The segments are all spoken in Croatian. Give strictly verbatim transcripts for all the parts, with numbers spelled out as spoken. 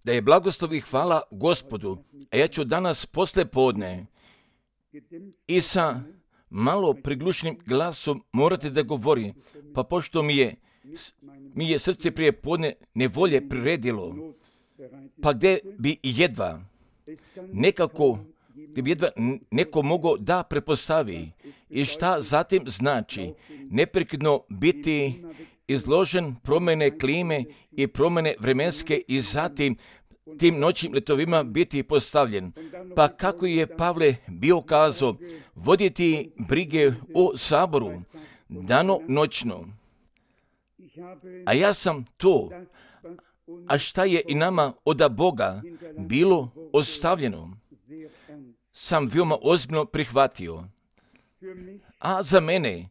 Da je blagoslov i hvala Gospodu, a ja ću danas posle podne i sa malo priglušenim glasom morati da govori, pa pošto mi je, mi je srce prije podne nevolje priredilo, pa gdje bi jedva nekako, gdje bi jedva neko mogao da prepostavi i šta zatim znači neprekidno biti izložen promjene klime i promjene vremenske i zatim tim noćnim letovima biti postavljen. Pa kako je Pavle bio kazao, voditi brige o saboru, dano noćno. A ja sam to, a šta je i nama od Boga bilo ostavljeno, sam veoma ozbiljno prihvatio. A za mene,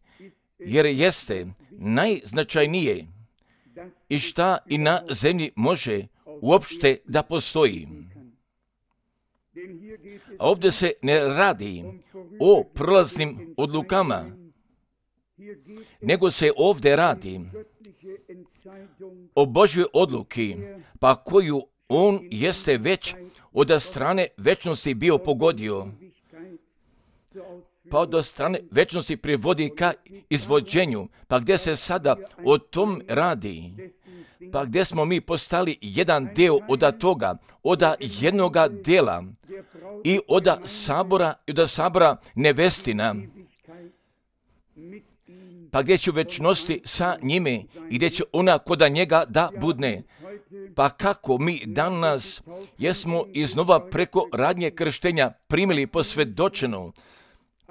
jer jeste najznačajnije i šta i na zemlji može uopšte da postoji. A ovdje se ne radi o prolaznim odlukama, nego se ovdje radi o Božjoj odluki, pa koju on jeste već od strane večnosti bio pogodio, pa od strane večnosti privodi ka izvođenju, pa gdje se sada o tom radi, pa gdje smo mi postali jedan deo od toga, od jednoga dela i od sabora, i od sabora nevestina, pa gdje će večnosti sa njime i gdje će ona koda njega da budne. Pa kako mi danas jesmo iznova preko radnje krštenja primili posvjedočeno,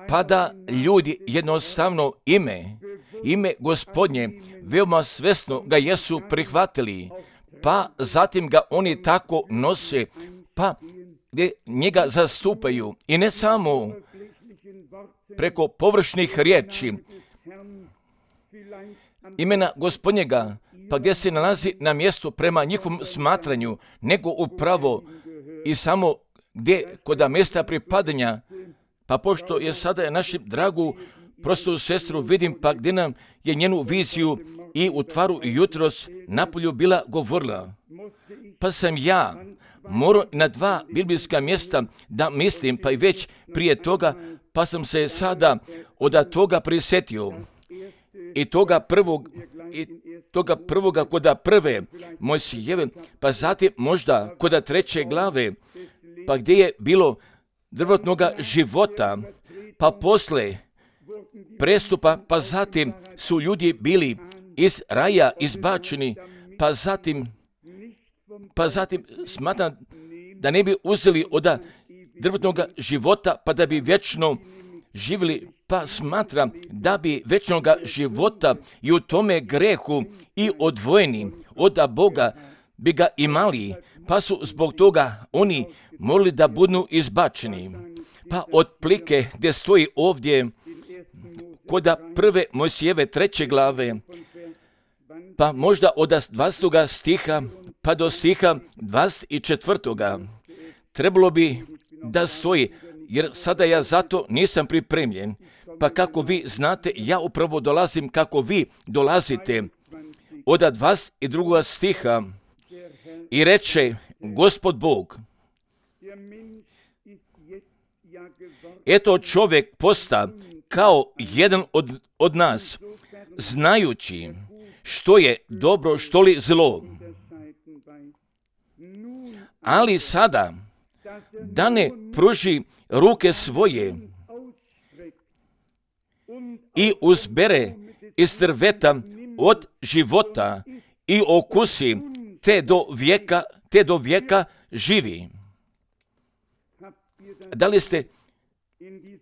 pa da ljudi jednostavno ime, ime Gospodnje, veoma svesno ga jesu prihvatili, pa zatim ga oni tako nose, pa gdje njega zastupaju. I ne samo preko površnih riječi, imena Gospodnjega, pa gdje se nalazi na mjestu prema njihovom smatranju, nego upravo i samo gdje kod mjesta pripadanja, pa pošto je sada našu dragu prostu sestru vidim, pa gdje nam je njenu viziju i u tvaru jutros napolju bila govorila, pa sam ja morao na dva biblijska mjesta da mislim, pa i već prije toga, pa sam se sada od toga prisjetio. I toga prvog, i toga prvoga koda prve Mojsijeve, pa zatim možda koda treće glave, pa gdje je bilo drvotnoga života, pa posle prestupa, pa zatim su ljudi bili iz raja izbačeni, pa zatim, pa zatim smatram da ne bi uzeli od drvotnoga života, pa da bi vječno živjeli, pa smatram da bi večnoga života i u tome grehu i odvojeni od Boga bi ga imali, pa su zbog toga oni morali da budu izbačeni. Pa otplike gdje stoji ovdje kod prve Mojsijeve treće glave, pa možda od dvadesetog stiha pa do stiha dvadeset četvrtoga trebalo bi da stoji, jer sada ja zato nisam pripremljen. Pa kako vi znate, ja upravo dolazim kako vi dolazite. Od dvadeset drugog stiha i reče Gospod Bog, eto čovjek posta kao jedan od, od nas, znajući što je dobro, što li zlo. Ali sada, da ne pruži ruke svoje i uzbere iz drveta od života i okusi, te do vijeka, te do vijeka živi. Da li ste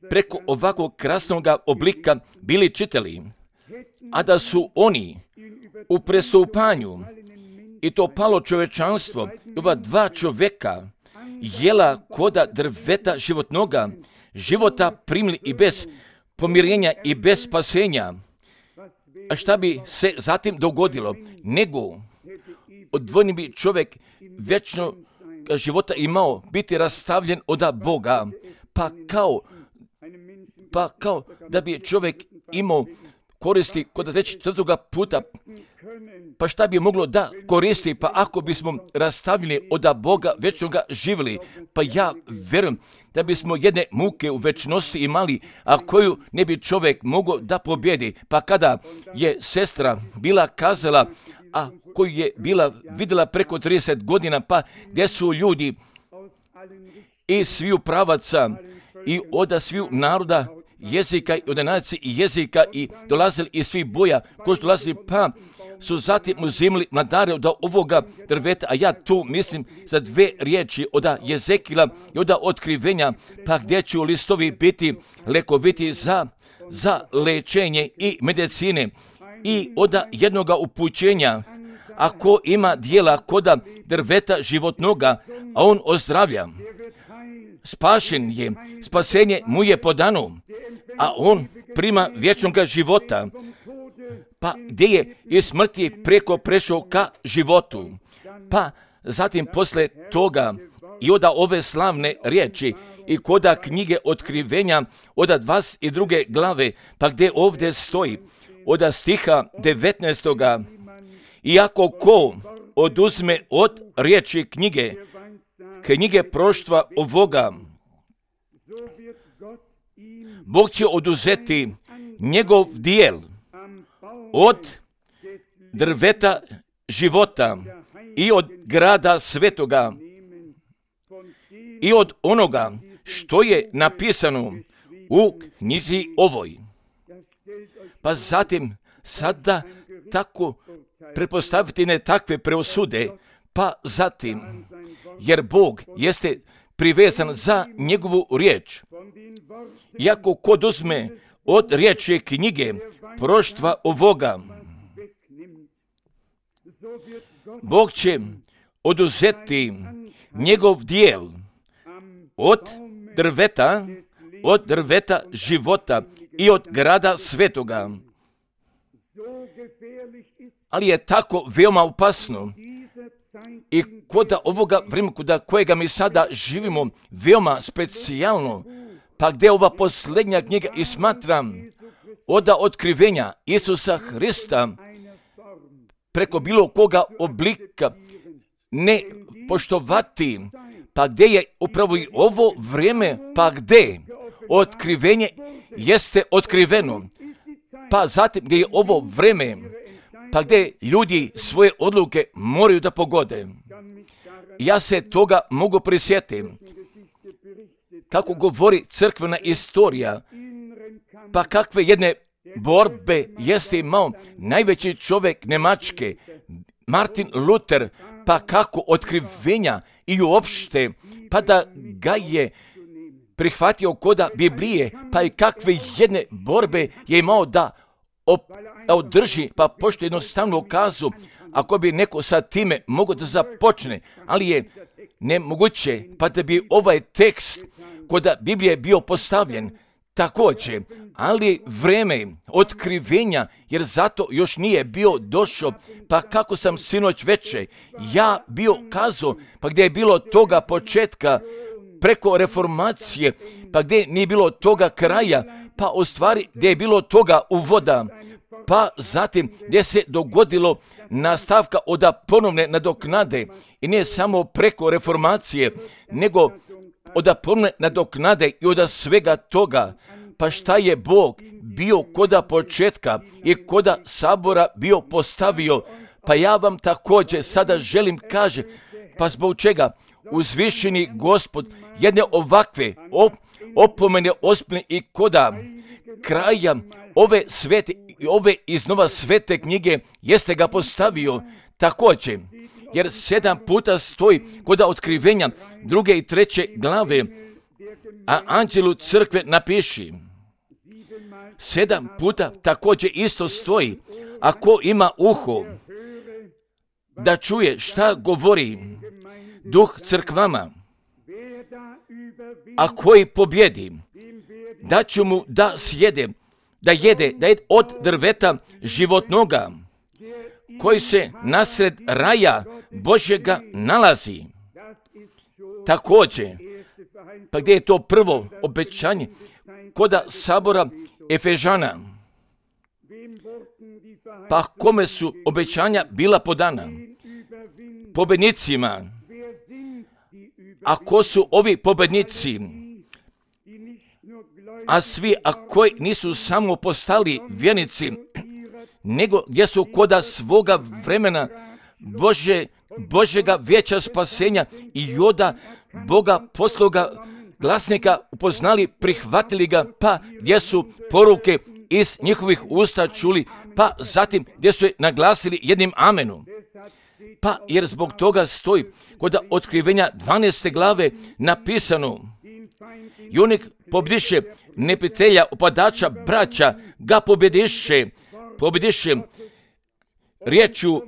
preko ovakvog krasnog oblika bili čitali, a da su oni u prestupanju i to palo čovečanstvo, ova dva čovjeka jela koda drveta životnoga, života primili i bez pomirenja i bez spasenja. A šta bi se zatim dogodilo? Nego odvojeni bi čovjek vječno života imao biti rastavljen od Boga, pa kao, pa kao da bi čovjek imao koristi kod trećeg četvrtoga puta. Pa šta bi moglo da koristi, pa ako bismo rastavljeni od Boga večnoga živjeli, pa ja verujem da bismo jedne muke u večnosti imali, a koju ne bi čovjek mogao da pobjedi. Pa kada je sestra bila kazala, a koju je bila vidjela preko trideset godina, pa gdje su ljudi i sviju pravaca i od sviju naroda, jezika i od nacije i jezika i dolazili iz svih boja, koji su dolazili, pa su zatim uzimali mladare od ovoga drveta, a ja tu mislim za dve riječi od Jezekila i od otkrivenja, pa gdje će listovi biti lekoviti za, za lečenje i medicine i od jednoga upućenja, ako ima dijela koda drveta životnoga, a on ozdravlja. Spašen je, spasenje mu je podano, a on prima vječnog života. Pa gdje je iz smrti preko prešao ka životu. Pa zatim posle toga i od ove slavne riječi i koda knjige otkrivenja od dvadeset druge glave, pa gdje ovdje stoji od stiha devetnaestoga iako ko oduzme od riječi knjige, knjige proštva ovoga, Bog će oduzeti njegov dijel od drveta života i od grada svetoga i od onoga što je napisano u knjizi ovoj. Pa zatim sada tako pretpostaviti ne takve preosude, pa zatim, jer Bog jeste privezan za njegovu riječ. Iako kod uzme od riječi knjige proštva ovoga, Bog će oduzeti njegov dijel od drveta, od drveta života i od grada svetoga. Ali je tako veoma opasno i kod ovoga vremena kod kojega mi sada živimo veoma specijalno, pa gdje ova posljednja knjiga i smatram od otkrivenja Isusa Hrista preko bilo koga oblika ne poštovati, pa gdje je upravo i ovo vrijeme, pa gdje otkrivenje jeste otkriveno, pa zatim gdje je ovo vrijeme, pa gdje ljudi svoje odluke moraju da pogode. Ja se toga mogu prisjetiti. Kako govori crkvena istorija, pa kakve jedne borbe jeste imao najveći čovjek Njemačke, Martin Luther, pa kako otkrivenja i uopšte, pa da ga je prihvatio koda Biblije, pa i kakve jedne borbe je imao da op- održi, pa pošto jednostavno kazu, ako bi neko sa time mogao da započne, ali je nemoguće, pa da bi ovaj tekst kod Biblije bio postavljen također, ali vreme otkrivenja, jer zato još nije bio došao, pa kako sam sinoć veče, ja bio kazao, pa gdje je bilo toga početka preko reformacije, pa gdje nije bilo toga kraja, pa u stvari gdje je bilo toga uvoda, pa zatim gdje se dogodilo nastavka od ponovne nadoknade i ne samo preko reformacije, nego od ponovne nadoknade i od svega toga. Pa šta je Bog bio koda početka i koda sabora bio postavio, pa ja vam također sada želim kaže, pa zbog čega uzvišeni Gospod jedne ovakve op, opomene ospne i koda kraja ove svete i ove iznova svete knjige jeste ga postavio također, jer sedam puta stoji kod otkrivenja druge i treće glave, a anđelu crkve napiši. Sedam puta također isto stoji, ako ima uho da čuje šta govori duh crkvama, a koji pobjedi, da će mu da sjede, da jede, da jede od drveta životnoga, koji se nasred raja Božjega nalazi. Također, pa gdje je to prvo obećanje? Koda sabora Efežana. Pa kome su obećanja bila podana? Pobednicima. A ko su ovi pobednici? A svi, a koji nisu samo postali vjernici, nego gdje su koda svoga vremena Bože, Božega vijeća spasenja i joda Boga posloga glasnika upoznali, prihvatili ga, pa gdje su poruke iz njihovih usta čuli, pa zatim gdje su je naglasili jednim amenom. Pa jer zbog toga stoji kod Otkrivenja dvanaeste glave napisano: i onih pobjediše neprijatelja, upadača, braća, ga pobjediše, pobjediše riječju,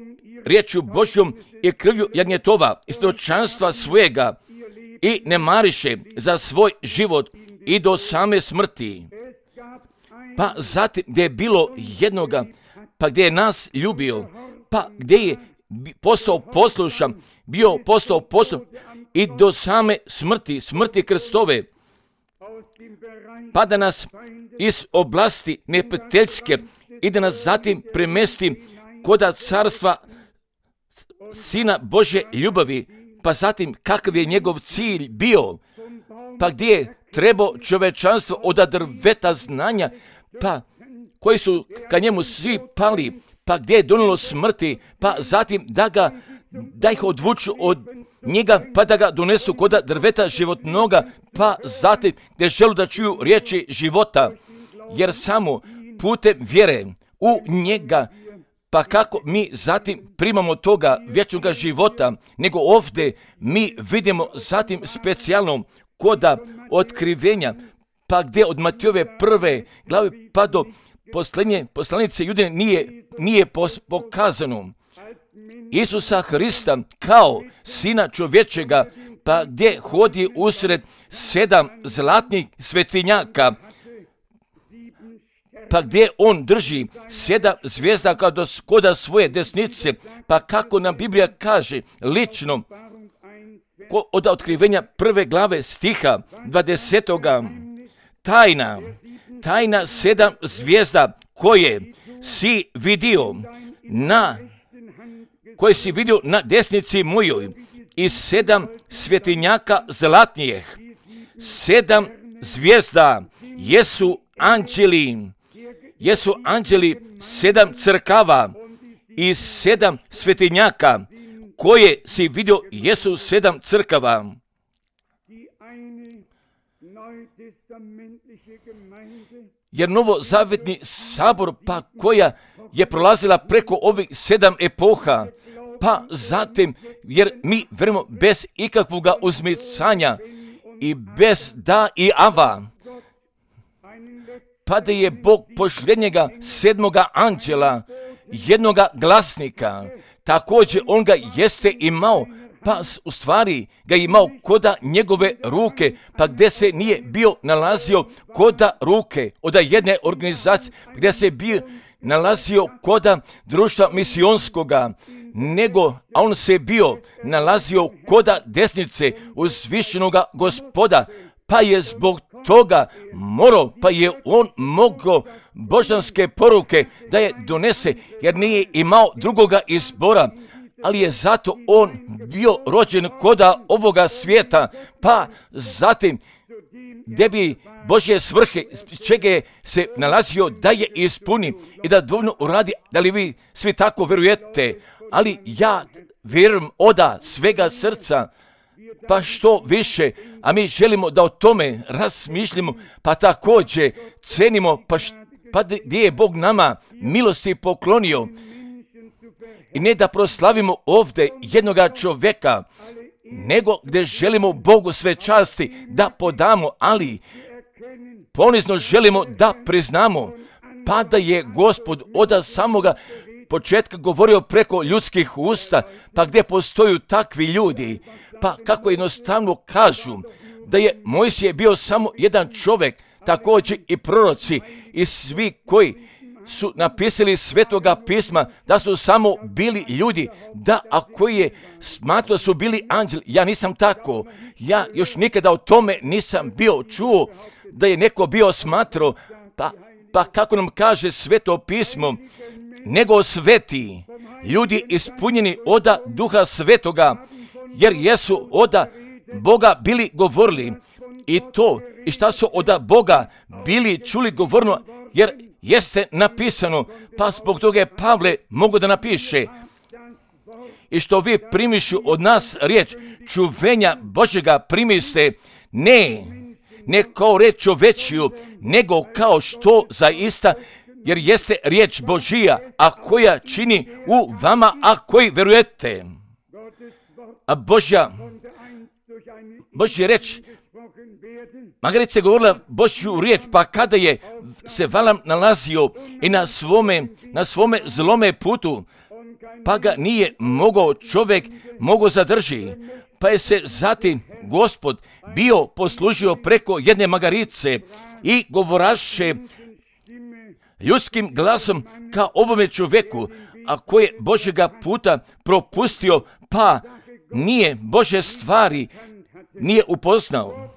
riječju Božjom i krvju jagnjetova i svjedočanstva svojega i ne mariše za svoj život i do same smrti. Pa zatim gdje je bilo jednoga, pa gdje je nas ljubio, pa gdje je postao poslušan, bio postao poslušan i do same smrti, smrti Kristove, pa da nas iz oblasti neprijateljske i da nas zatim premesti koda carstva Sina Božje ljubavi, pa zatim kakav je njegov cilj bio, pa gdje je trebao čovečanstvo od drveta znanja, pa koji su ka njemu svi pali, pa gdje je donijelo smrti, pa zatim da ga, da ih odvuču od njega, pa da ga donesu koda drveta životnoga, pa zatim gdje želu da čuju riječi života, jer samo putem vjere u njega, pa kako mi zatim primamo toga vječnog života, nego ovdje mi vidimo zatim specijalno koda Otkrivenja, pa gdje od Matijove prve glave pa do posljednje poslanice Judine nije, nije pokazano Isusa Hrista kao Sina čovječega, pa gdje hodi usred sedam zlatnih svetinjaka, pa gdje on drži sedam zvijezda koda svoje desnice, pa kako nam Biblija kaže lično od Otkrivenja prve glave stiha dvadesetoga, tajna, tajna sedam zvijezda koje si vidio na, koje si vidio na desnici mojoj i sedam svetinjaka zlatnijih. Sedam zvijezda jesu anđeli, jesu anđeli sedam crkava i sedam svetinjaka koje si vidio jesu sedam crkava. Jer novozavjetni sabor, pa koja je prolazila preko ovih sedam epoha, pa zatim, jer mi vjerujemo bez ikakvog uzmicanja i bez da i ava, pa da je Bog pošljenjega sedmoga anđela, jednoga glasnika, također on ga jeste imao, pa u stvari ga imao koda njegove ruke, pa gdje se nije bio nalazio koda ruke od jedne organizacije, gdje se bio nalazio koda društva misionskoga, nego, a on se bio nalazio koda desnice uzvišenoga Gospoda, pa je zbog toga morao, pa je on mogao božanske poruke da je donese, jer nije imao drugoga izbora, ali je zato on bio rođen koda ovoga svijeta, pa zatim gdje bi Božje svrhe, čega je se nalazio da je ispuni i da dovoljno uradi, da li vi svi tako vjerujete, ali ja vjerujem oda svega srca, pa što više, a mi želimo da o tome razmišljamo, pa također cenimo, pa, št, pa gdje je Bog nama milosti poklonio. I ne da proslavimo ovdje jednoga čovjeka, nego gdje želimo Bogu sve časti da podamo, ali ponizno želimo da priznamo, pa da je Gospod od samoga početka govorio preko ljudskih usta, pa gdje postoju takvi ljudi, pa kako jednostavno kažu da je Mojsije bio samo jedan čovjek, također i proroci i svi koji su napisali svetoga pisma, da su samo bili ljudi, da ako je smatrao su bili anđeli, ja nisam tako, ja još nikada o tome nisam bio čuo, da je neko bio smatrao, pa Pa kako nam kaže Sveto pismo, nego sveti, ljudi ispunjeni oda Duha Svetoga, jer jesu oda Boga bili govorili. I to, i šta su oda Boga bili čuli govorno, jer jeste napisano, pa zbog toga je Pavle mogu da napiše. I što vi primišu od nas riječ čuvenja Božjega primiste, ne, ne kao reč čovečiju, nego kao što zaista, jer jeste riječ Božija, a koja čini u vama, a koji verujete. A Božja, Božja reč, Magarica je govorila Božju riječ, pa kada je se Valam nalazio i na svome, na svome zlome putu, pa ga nije mogao čovjek mogao zadrži, pa je se zatim Gospod bio poslužio preko jedne magarice i govoraše ljudskim glasom ka ovome čovjeku, a koji je Božjega puta propustio, pa nije Božje stvari nije upoznao.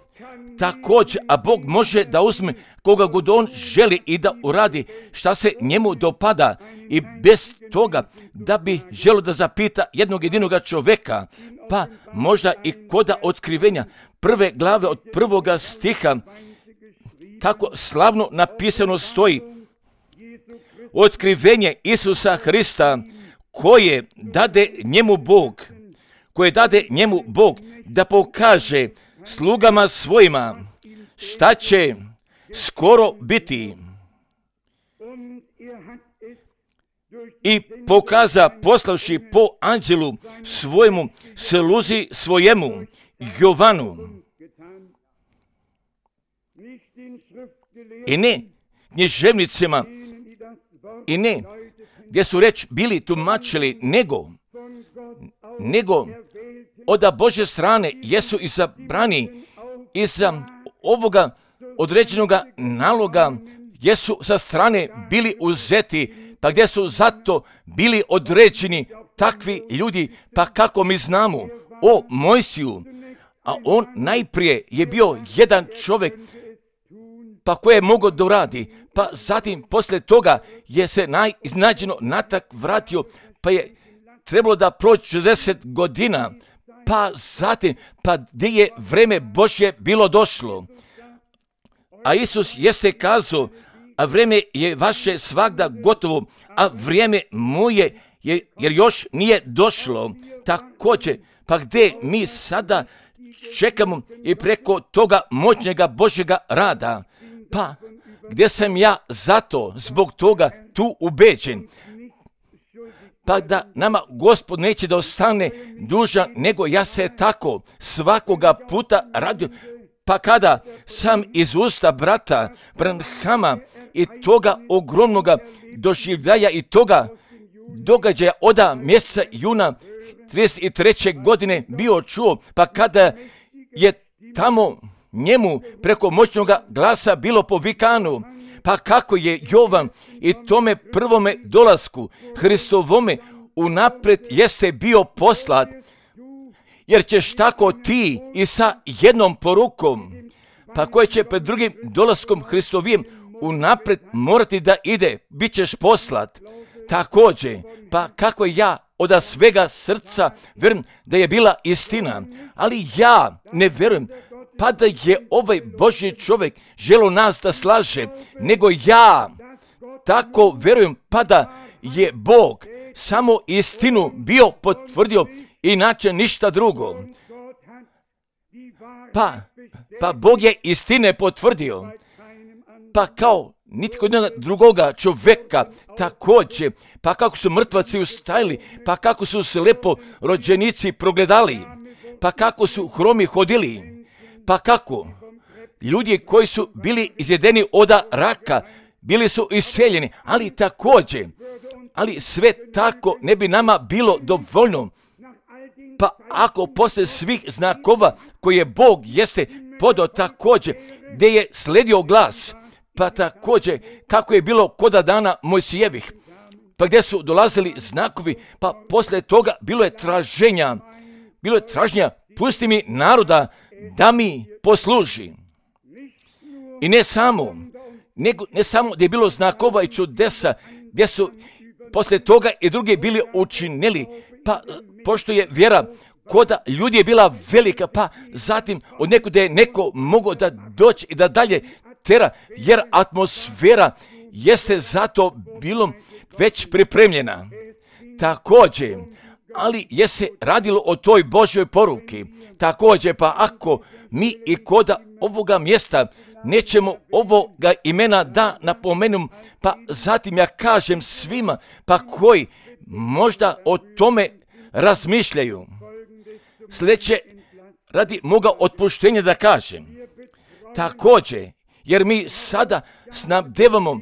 Također, a Bog može da uzme koga god on želi i da uradi šta se njemu dopada i bez toga da bi želio da zapita jednog jedinoga čovjeka, pa možda i koda otkrivenja prve glave od prvoga stiha, tako slavno napisano stoji, otkrivenje Isusa Hrista koje dade njemu Bog, koje dade njemu Bog da pokaže slugama svojima šta će skoro biti. I pokaza poslavši po anđelu svojemu sluzi svojemu Jovanu. I ne književnicima, i ne gdje su reč bili tumačili, nego, nego od Božje strane jesu izabrani iza ovoga određenoga naloga, jesu sa strane bili uzeti, pa gdje su zato bili određeni takvi ljudi, pa kako mi znamo o Mojsiju, a on najprije je bio jedan čovjek, pa koje je mogao da uradi, pa zatim poslije toga je se najiznađeno natak vratio, pa je trebalo da prođe četrdeset godina, pa zatim, pa gdje je vreme Božje bilo došlo. A Isus jeste kazao, a vreme je vaše svagda gotovo, a vrijeme moje je, jer još nije došlo. Također, pa gdje mi sada čekamo i preko toga moćnjega Božjega rada, pa gdje sam ja zato, zbog toga tu ubeđen, pa da nama Gospod neće da ostane dužan, nego ja se tako svakoga puta radim. Pa kada sam iz usta brata Branhama i toga ogromnoga doživljaja i toga događaja oda mjeseca juna trideset treće godine bio čuo, pa kada je tamo njemu preko moćnog glasa bilo povikano, pa kako je Jovan i tome prvome dolasku Hristovome unaprijed jeste bio poslat, jer ćeš tako ti i sa jednom porukom, pa koje će pred drugim dolaskom Hristovim unaprijed morati da ide, bit ćeš poslat. Također, pa kako ja od svega srca vjerujem da je bila istina, ali ja ne vjerujem pa da je ovaj Božji čovjek želio nas da slaže, nego ja tako vjerujem pa da je Bog samo istinu bio potvrdio, inače ništa drugo. Pa, pa Bog je istine potvrdio, pa kao nitko drugoga čovjeka također, pa kako su mrtvaci ustajali, pa kako su slepo rođenici progledali, pa kako su hromi hodili, pa kako ljudi koji su bili izjedeni od raka, bili su isceljeni, ali također, ali sve tako ne bi nama bilo dovoljno. Pa ako poslije svih znakova koje Bog jeste podao također, gdje je sledio glas, pa također kako je bilo koda dana Mojsijevih, pa gdje su dolazili znakovi, pa poslije toga bilo je traženja, bilo je traženja, pusti mi naroda da mi posluži. I ne samo, nego, ne samo da je bilo znakova i čudesa, gdje su poslije toga i drugi bili učinili, pa pošto je vjera koda ljudi je bila velika, pa zatim od nekuda je neko mogao da doći i da dalje tera, jer atmosfera jeste zato bilo već pripremljena. Također, ali je se radilo o toj Božjoj poruki. Također, pa ako mi i koda ovoga mjesta nećemo ovoga imena da napomenem, pa zatim ja kažem svima, pa koji možda o tome razmišljaju. Sljedeće, radi moga otpuštenja da kažem. Također, jer mi sada snabdevamo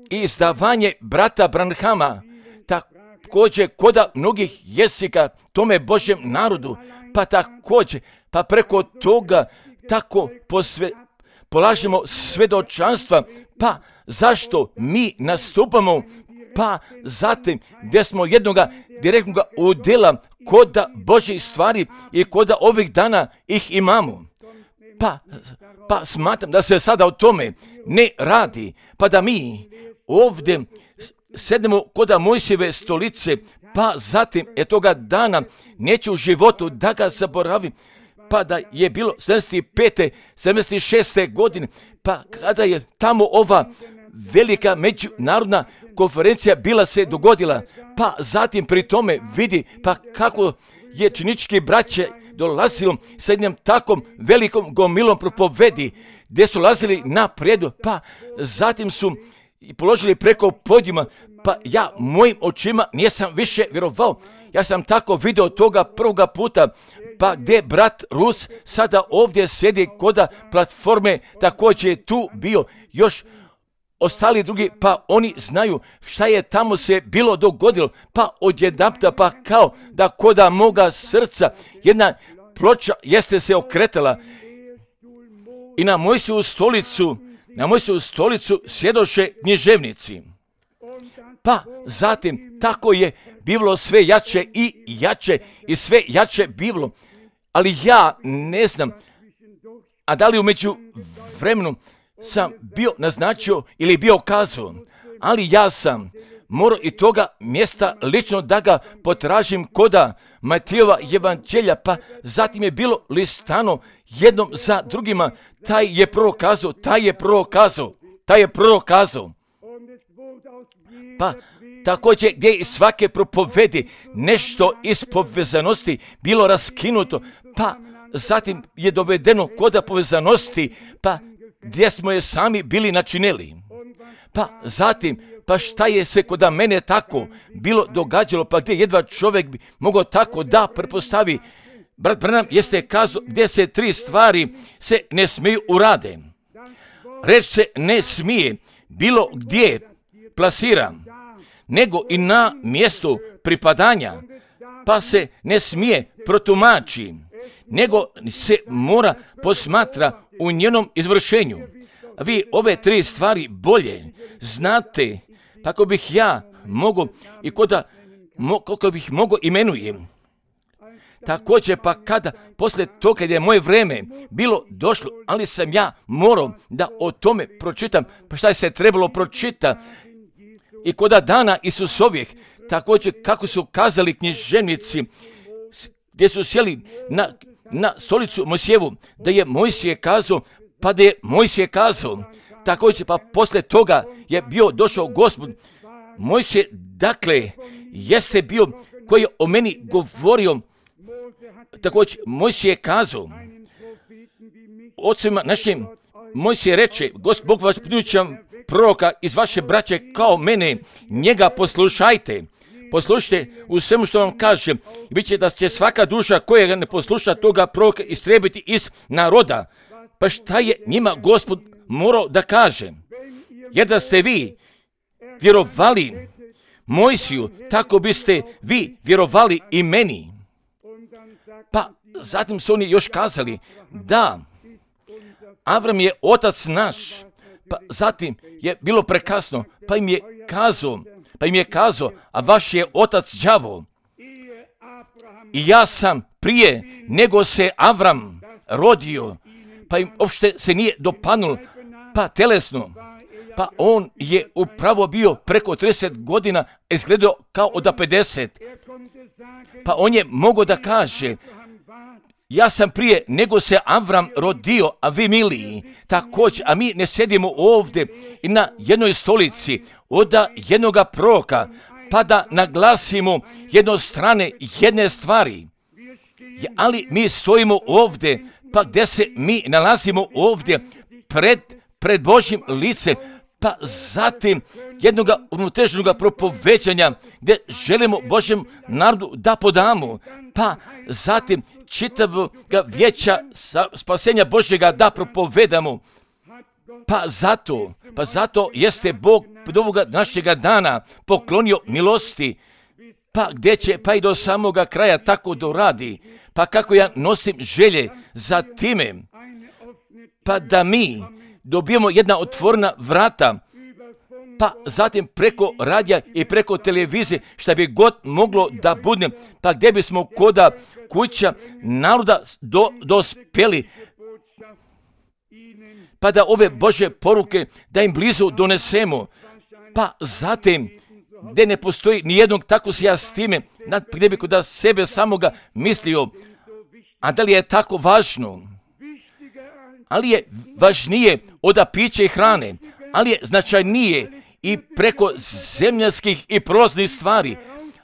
izdavanje brata Branhama, također koda mnogih jezika tome Božjem narodu, pa također, pa preko toga tako posve, polažemo svedočanstva, pa zašto mi nastupamo, pa zatim gdje smo jednoga direktnoga udjela koda Božjih stvari i koda ovih dana ih imamo. Pa, pa smatram da se sada o tome ne radi, pa da mi ovdje sedemo koda Mojsijeve stolice, pa zatim je toga dana neću u životu da ga zaboravim, pa da je bilo sedamdeset pete, sedamdeset šeste godine, pa kada je tamo ova velika međunarodna konferencija bila se dogodila, pa zatim pri tome vidi pa kako je činički braće dolazilo sa jednom takom velikom gomilom propovedi, gdje su lazili na predu, pa zatim su položili preko podijuma, pa ja mojim očima nisam više vjerovao. Ja sam tako vidio toga prvoga puta, pa gdje brat Rus sada ovdje sjedi koda platforme, također je tu bio još ostali drugi, pa oni znaju šta je tamo se bilo dogodilo, pa odjedanputa pa kao da koda moga srca jedna ploča jeste se okretala i na Mojsijevu stolicu, na Mojsijevu stolicu sjedoše književnici. Pa zatim tako je bivalo sve jače i jače i sve jače bivalo, ali ja ne znam, a da li u među vremenu sam bio naznačio ili bio kazao, ali ja sam morao i toga mjesta lično da ga potražim koda Matijeva evanđelja, pa zatim je bilo listano jednom za drugima, taj je prorokazao, taj je prorokazao, taj je prorokazao. Pa također gdje iz svake propovedi nešto iz povezanosti bilo raskinuto, pa zatim je dovedeno koda povezanosti, pa gdje smo je sami bili načinili. Pa zatim, pa šta je se koda mene tako bilo događalo, pa gdje jedva čovjek bi mogao tako da prepostavi. Brat Branham jeste kazao gdje se tri stvari se ne smiju urade. Reč se ne smije bilo gdje plasira, nego i na mjestu pripadanja, pa se ne smije protumači, nego se mora posmatra u njenom izvršenju. Vi ove tri stvari bolje znate, kako bih ja mogao i koda, mo, kako bih mogao imenujem. Također pa kada, poslije toga kad je moje vrijeme bilo došlo, ali sam ja morao da o tome pročitam, pa šta je se trebalo pročita i koda dana Isusovih, također kako su kazali književnici, gdje su sjeli na, na stolicu Mojsijevu, da je Mojsije kazao, pa da je Mojsije kazao, također pa poslije toga je bio došao Gospod. Mojsije, dakle, jeste bio koji je o meni govorio, također Mojsije kazao, ocima našim, Mojsije reče, Gospod Bog vas prinučam proroka iz vaše braće kao mene, njega poslušajte. Poslušajte u svemu što vam kažem, i bit će da će svaka duša koja ga ne posluša toga proroka istrebiti iz naroda. Pa šta je njima Gospod morao da kaže? Jer da ste vi vjerovali Mojsiju, tako biste vi vjerovali i meni. Pa zatim su oni još kazali da Avram je otac naš, pa zatim je bilo prekasno, pa im je kazao, pa im je kazao, a vaš je otac đavo. I ja sam prije nego se Avram rodio, pa im uopšte se nije dopadnulo, pa telesno, Pa on je upravo bio preko trideset godina, izgledao kao od pedeset. Pa on je mogao da kaže, ja sam prije nego se Avram rodio, a vi miliji, također, a mi ne sedimo ovdje i na jednoj stolici od jednoga proroka, pa da naglasimo jednostrane jedne stvari. Ali mi stojimo ovdje, pa gdje se mi nalazimo ovdje pred, pred Božjim licem, pa zatim jednog unutrašnjeg propoveđanja gdje želimo Božjem narodu da podamo, pa zatim čitavog vijeća spasenja Božjega da propovedamo. Pa zato, pa zato jeste Bog od ovoga našega dana poklonio milosti, pa gdje će, pa i do samoga kraja tako doradi, pa kako ja nosim želje za time, pa da mi dobijemo jedna otvorena vrata, pa zatim preko radija i preko televizije, šta bi god moglo da bude, pa gdje bismo koda kuća naroda do, dospjeli, pa da ove Božje poruke, da im blizu donesemo, pa zatim, gdje ne postoji nijednog, tako se ja s time, gdje bi kod sebe samoga mislio, a da li je tako važno? Ali je važnije od pića i hrane, ali je značajnije i preko zemljanskih i prolaznih stvari,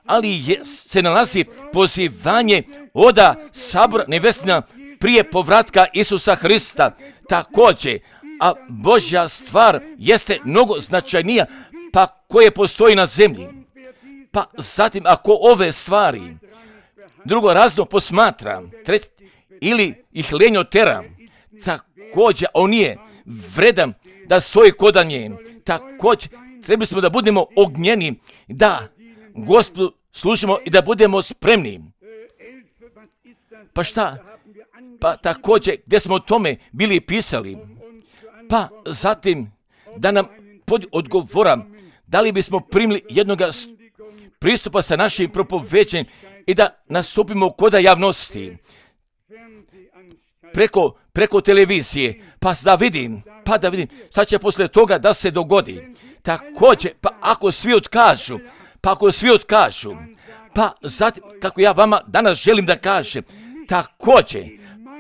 ali je, se nalazi pozivanje od sabora nevestina prije povratka Isusa Hrista. Također, a Božja stvar jeste mnogo značajnija, pa koje postoji na zemlji. Pa zatim, ako ove stvari drugo razno posmatra, tret, ili ih lenjo tera, također on je vredan da stoji kod nje. Također, trebali smo da budemo ognjeni, da Gospodu služimo i da budemo spremni. Pa šta? Pa također, gdje smo o tome bili pisali, pa zatim da nam pod odgovora, da li bismo primili jednog pristupa sa našim propoveđenjem i da nastupimo kod javnosti preko, preko televizije, pa da vidim, pa da vidim šta će poslije toga da se dogodi. Također, pa ako svi otkažu, pa ako svi otkažu, pa zatim, kako ja vama danas želim da kažem, također,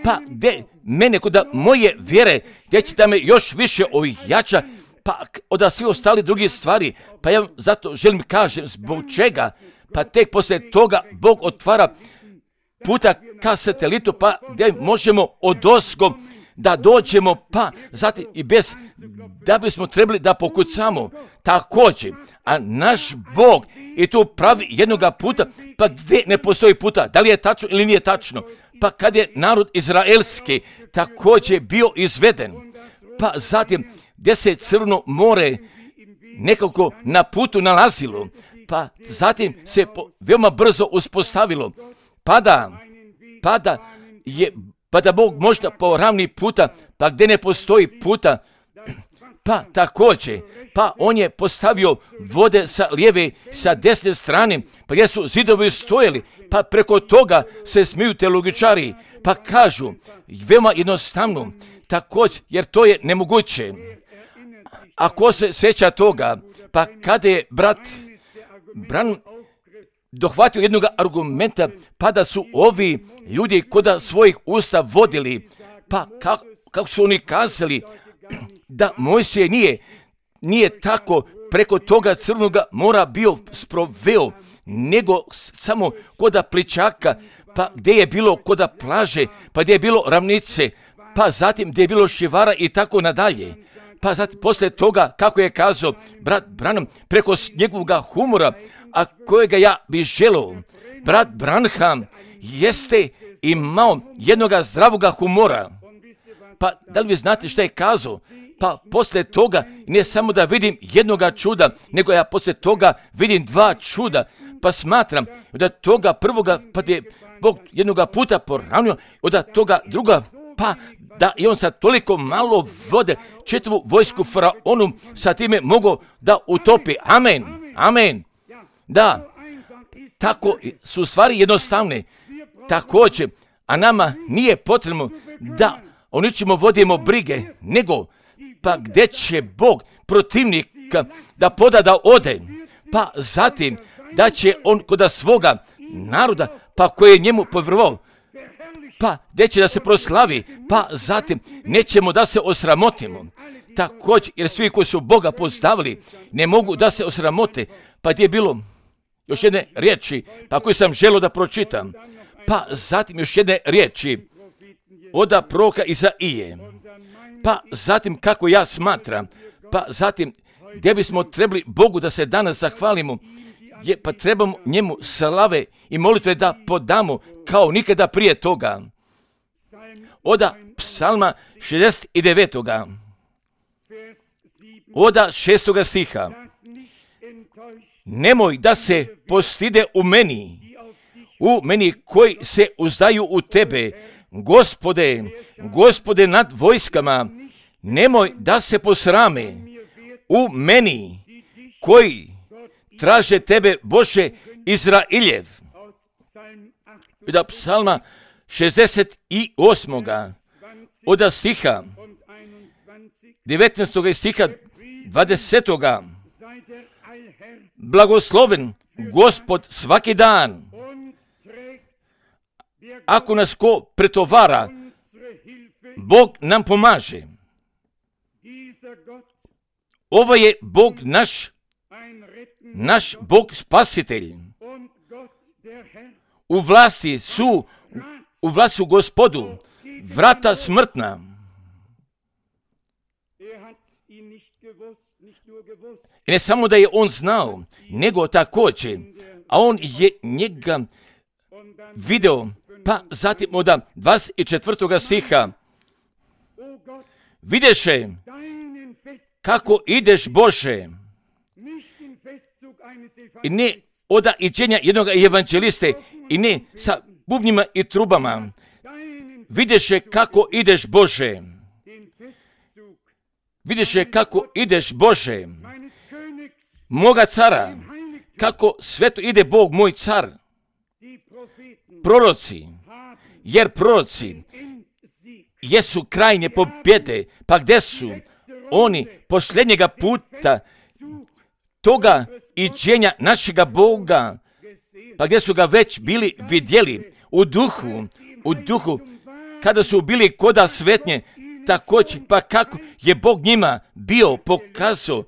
pa gdje mene kod moje vjere, gdje će da me još više ojača, pa od svi ostali drugi stvari, pa ja zato želim kažem zbog čega, pa tek poslije toga Bog otvara puta ka satelitu, pa gdje možemo odozgo da dođemo, pa zatim i bez da bismo trebali da pokucamo. Također, a naš Bog je tu pravi jednoga puta, pa gdje ne postoji puta, da li je tačno ili nije tačno, pa kad je narod izraelski također bio izveden, pa zatim gdje se Crno more nekako na putu nalazilo, pa zatim se po, veoma brzo uspostavilo, pa da, pa da je, pa da Bog možda poravni puta, pa gdje ne postoji puta, pa također, pa on je postavio vode sa lijeve, sa desne strane, pa gdje su zidovi stojali, pa preko toga se smiju teologičari, pa kažu, veoma jednostavno, također, jer to je nemoguće. Ako se sjeća toga, pa kada je brat Bran dohvatio jednog argumenta, pa da su ovi ljudi kod svojih usta vodili, pa kako, kako su oni kazali, da Mojsije nije, nije tako preko toga Crnog mora bio sproveo, nego samo kod pličaka, pa gdje je bilo kod plaže, pa gdje je bilo ravnice, pa zatim gdje je bilo šivara i tako nadalje. Pa zatim poslije toga, kako je kazao brat Branham, preko njegovog humora, a kojega ja bih želeo, brat Branham jeste imao jednog zdravog humora. Pa da li vi znate šta je kazao? Pa poslije toga ne samo da vidim jednoga čuda, nego ja poslije toga vidim dva čuda. Pa smatram da toga prvoga, pa je Bog jednoga puta poravnio, od toga druga, pa da i on sa toliko malo vode čitavu vojsku faraonu sa time mogu da utopi. Amen, amen. Da, tako su stvari jednostavne. Također, a nama nije potrebno da o ničemu vodimo brige, nego pa gdje će Bog protivnika da poda da ode, pa zatim da će on kod svoga naroda, pa koji je njemu povjerovao, pa gdje će da se proslavi, pa zatim nećemo da se osramotimo. Također, jer svi koji su Boga poznavali ne mogu da se osramote, pa gdje je bilo još jedne riječi, pa koju sam želio da pročitam, pa zatim još jedne riječi od proroka Izaije, pa zatim kako ja smatram, pa zatim gdje bismo trebali Bogu da se danas zahvalimo, je, pa trebamo njemu slave i molitve da podamo kao nikada prije toga. Oda psalma šezdeset devet. Oda šestoga stiha. Nemoj da se postide u meni, u meni koji se uzdaju u tebe, Gospode, Gospode nad vojskama, nemoj da se posrame u meni koji traže tebe, Bože Izrailjev. Od psalma šezdeset osam. Od stiha devetnaestog i stiha dvadesetog. Blagosloven Gospod svaki dan. Ako nas ko pretovara, Bog nam pomaže. Ovo je Bog naš, naš Bog spasitelj. U vlasti su, u vlasti su Gospodu vrata smrtna. I ne samo da je on znao, nego također, a on je njega video, pa zatim od dvadeset četvrtog stiha. Videše kako ideš, Bože, i ne od iđenja jednog evanđeliste, i ne sa bubnjima i trubama. Videše kako ideš, Bože. Videše kako ideš, Bože, moga cara, kako sveto ide Bog, moj car. Proroci, jer proroci jesu krajnje pobjede, pa gdje su oni posljednjega puta toga iđenja našega Boga, pa gdje su ga već bili vidjeli u duhu, u duhu, kada su bili koda svetnje, također, pa kako je Bog njima bio pokazao,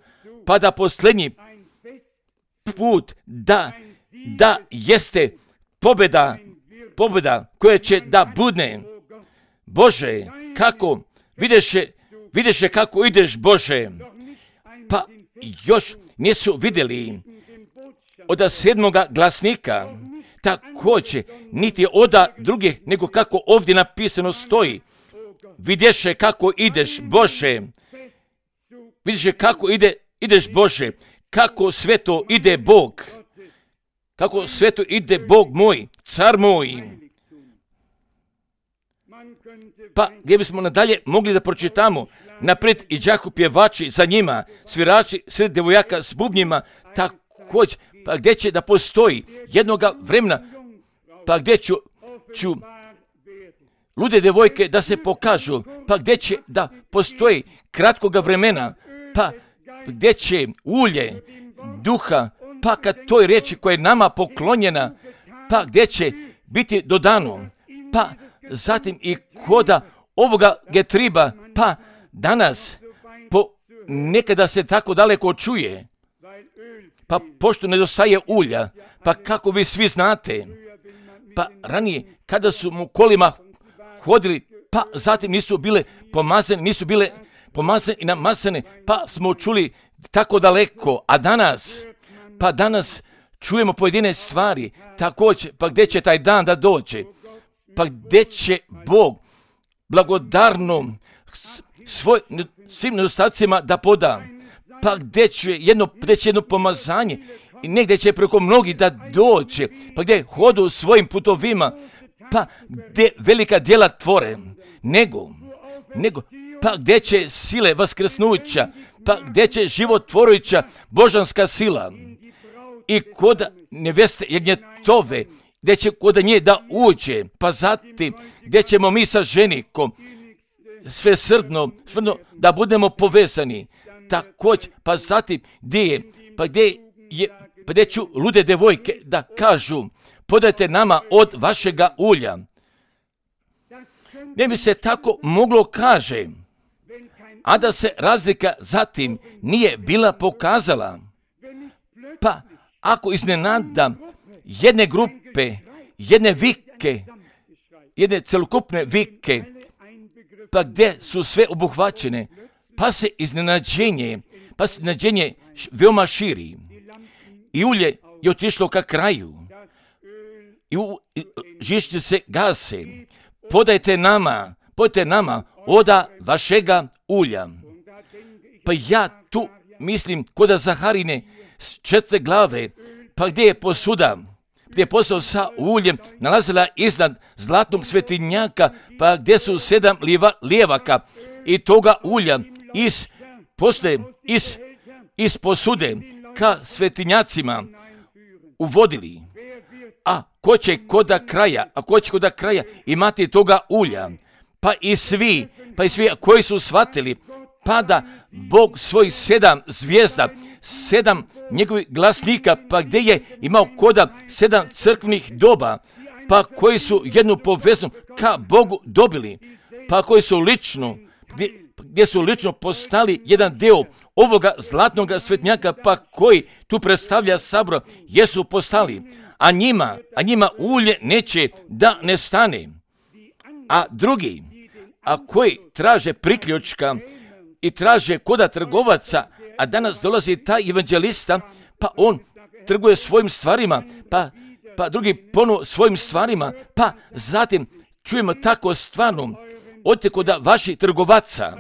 pa da posljednji put, da, da jeste pobjeda, pobjeda koja će da budne. Bože, kako, videše, videše kako ideš, Bože, pa još nisu vidjeli od sedmoga glasnika, također, niti od drugih, nego kako ovdje napisano stoji. Vidješe kako ideš, Bože, vidiše kako ide, ideš, Bože, kako sveto ide Bog, kako sveto ide Bog moj, car moj. Pa gdje bismo nadalje mogli da pročitamo, naprijed i đaku pjevači za njima, svirači sred devojaka s bubnjima, također, pa gdje će da postoji jednoga vremena, pa gdje ću, ću lude devojke da se pokažu, pa gdje će da postoji kratkoga vremena, pa gdje će ulje duha, pa kad toj riječi koja je nama poklonjena, pa gdje će biti dodano, pa zatim i koda ovoga getriba, pa danas po nekada se tako daleko čuje, pa pošto nedostaje ulja, pa kako vi svi znate, pa ranije kada su mu kolima hodili, pa zatim nisu bile pomazane, nisu bile pomazane i namazane, pa smo čuli tako daleko, a danas, pa danas čujemo pojedine stvari, također, pa gdje će taj dan da dođe, pa gdje će Bog blagodarno svoj, svim nedostacima da poda, pa gdje će jedno, gdje će jedno pomazanje i negdje će preko mnogi da dođe, pa gdje hodu svojim putovima, pa gdje velika djela tvore, nego, nego, pa gdje će sile vaskrsnuća, pa gdje će životvorujuća božanska sila i kod neveste jagnjetove, gdje će kod nje da uđe, pa zatim gdje ćemo mi sa ženikom, sve srdno, srdno da budemo povezani. Također, pa zatim gdje je, pa gdje je, pa gdje ću lude devojke da kažu, podajte nama od vašega ulja. Ne bi se tako moglo kaže, a da se razlika zatim nije bila pokazala. Pa ako iznenada jedne grupe, jedne vike, jedne celokupne vike, pa gdje su sve obuhvaćene, pa se iznenađenje, pa se iznenađenje veoma širi. I ulje je otišlo ka kraju. I žišće se gase. Podajte nama, podajte nama oda vašega ulja. Pa ja tu mislim kod Zaharine četiri glave, pa gdje je posuda, gdje je posao sa uljem nalazila iznad zlatnog svetinjaka, pa gdje su sedam lijeva, lijevaka i toga ulja iz, posle, iz, iz posude ka svetinjacima uvodili. A ko će koda kraja, a ko će koda kraja imati toga ulja, pa i svi, pa i svi koji su shvatili, pa da Bog svojih sedam zvijezda, sedam njegovih glasnika, pa gdje je imao koda sedam crkvenih doba, pa koji su jednu poveznu ka Bogu dobili, pa koji su lično, gdje, gdje su lično postali jedan deo ovoga zlatnog svetnjaka, pa koji tu predstavlja sabor, jesu postali, a njima, a njima ulje neće da ne stane. A drugi, a koji traže priključka i traže koda trgovaca, a danas dolazi taj evanđelista, pa on trguje svojim stvarima, pa, pa drugi ponovo svojim stvarima, pa zatim čujemo tako stvarno, odite koda vaših trgovaca,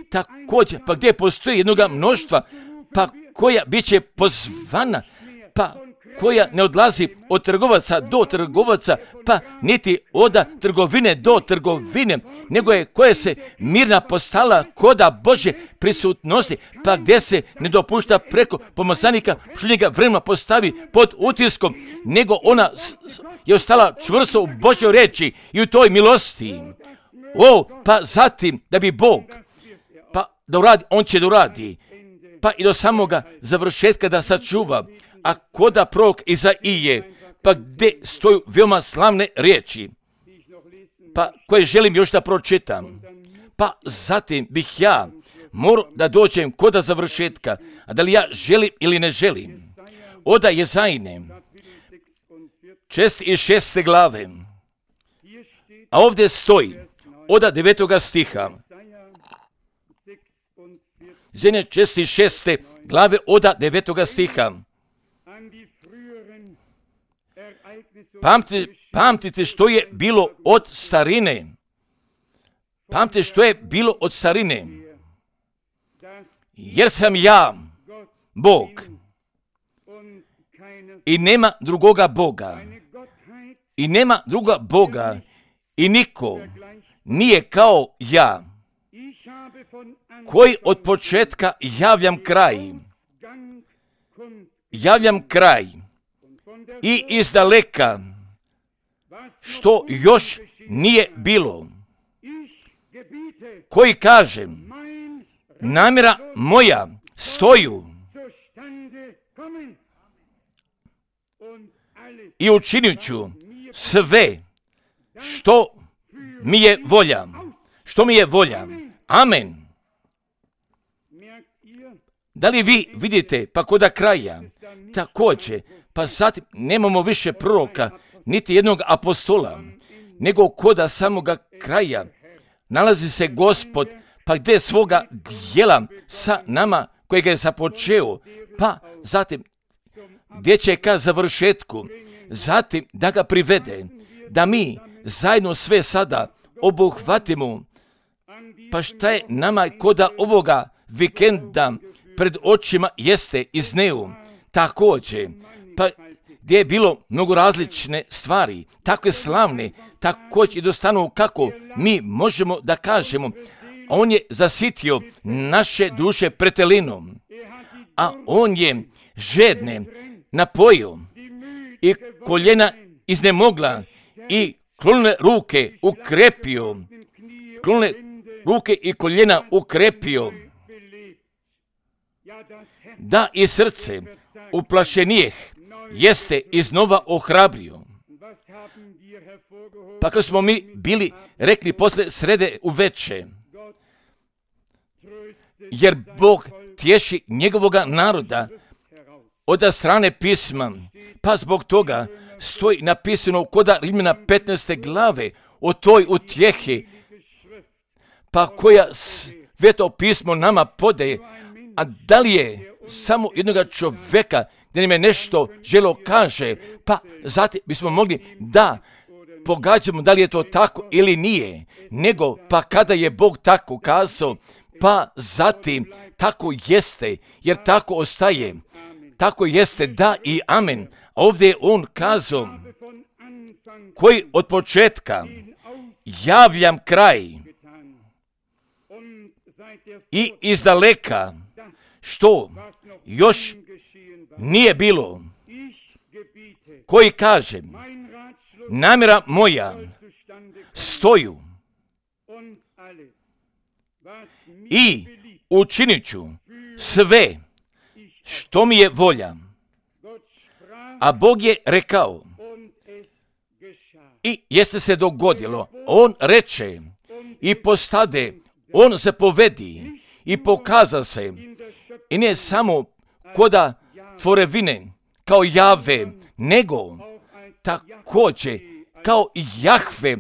također, pa gdje postoji jednoga mnoštva, pa koja bit će pozvana, pa koja ne odlazi od trgovaca do trgovaca, pa niti od trgovine do trgovine, nego je koja se mirna postala koda Božje prisutnosti, pa gdje se ne dopušta preko pomazanika što njega vremena postavi pod utiskom, nego ona je ostala čvrsto u Božjoj reči i u toj milosti. O, pa zatim da bi Bog, pa da uradi, on će da uradi, pa i do samoga završetka da sačuva. A koda prorok Izaije, pa gdje stoju veoma slavne riječi, pa koje želim još da pročitam, pa zatim bih ja morao da dođem koda završetka, a da li ja želim ili ne želim. Oda Jezajine, šest i šeste glave, a ovdje stoji, oda devetoga stiha, Jezajine šest i šeste glave, oda devetoga stiha. Pamtite, pamtite što je bilo od starine. Pamtite što je bilo od starine. Jer sam ja, Bog, i nema drugoga Boga. I nema druga Boga. I niko nije kao ja, koji od početka javljam kraj. Javljam kraj. I izdaleka, što još nije bilo, koji kažem, namjera moja stoju i učinit ću sve što mi je volja, što mi je volja. Amen. Da li vi vidite, pa koda kraja, također, pa zatim nemamo više proroka, niti jednog apostola, nego koda samoga kraja nalazi se Gospod, pa gdje svoga dijela sa nama kojega je započeo, pa zatim gdje će ka završetku, zatim da ga privede, da mi zajedno sve sada obuhvatimo, pa šta je nama koda ovoga vikenda pred očima jeste izneo, također, pa gdje je bilo mnogo različne stvari, takve slavne, također i dostanu kako mi možemo da kažemo, on je zasitio naše duše pretelinom, a on je žedne napojio i koljena iznemogla i klonile ruke ukrepio, klonile ruke i koljena ukrepio, da i srce uplašenijeh jeste iznova ohrabrio. Pa kad smo mi bili rekli posle srede uveče, jer Bog tješi njegovoga naroda od strane pisma, pa zbog toga stoji napisano koda Rimljana petnaeste glave o toj utjehi, pa koja sveto pismo nama podaje. A da li je samo jednoga čovjeka da nam je nešto želo kaže, pa zatim bismo mogli da pogađamo da li je to tako ili nije, nego pa kada je Bog tako kazao, pa zatim tako jeste, jer tako ostaje, tako jeste, da i amen. Ovdje je on kazao, koji od početka javljam kraj i izdaleka, što još nije bilo, koji kaže, namjera moja stoju i učinit ću sve što mi je volja. A Bog je rekao i jeste se dogodilo. On reče i postade, on se povedi i pokaza se. I ne samo koda tvorevine kao Jave, nego također kao Jahve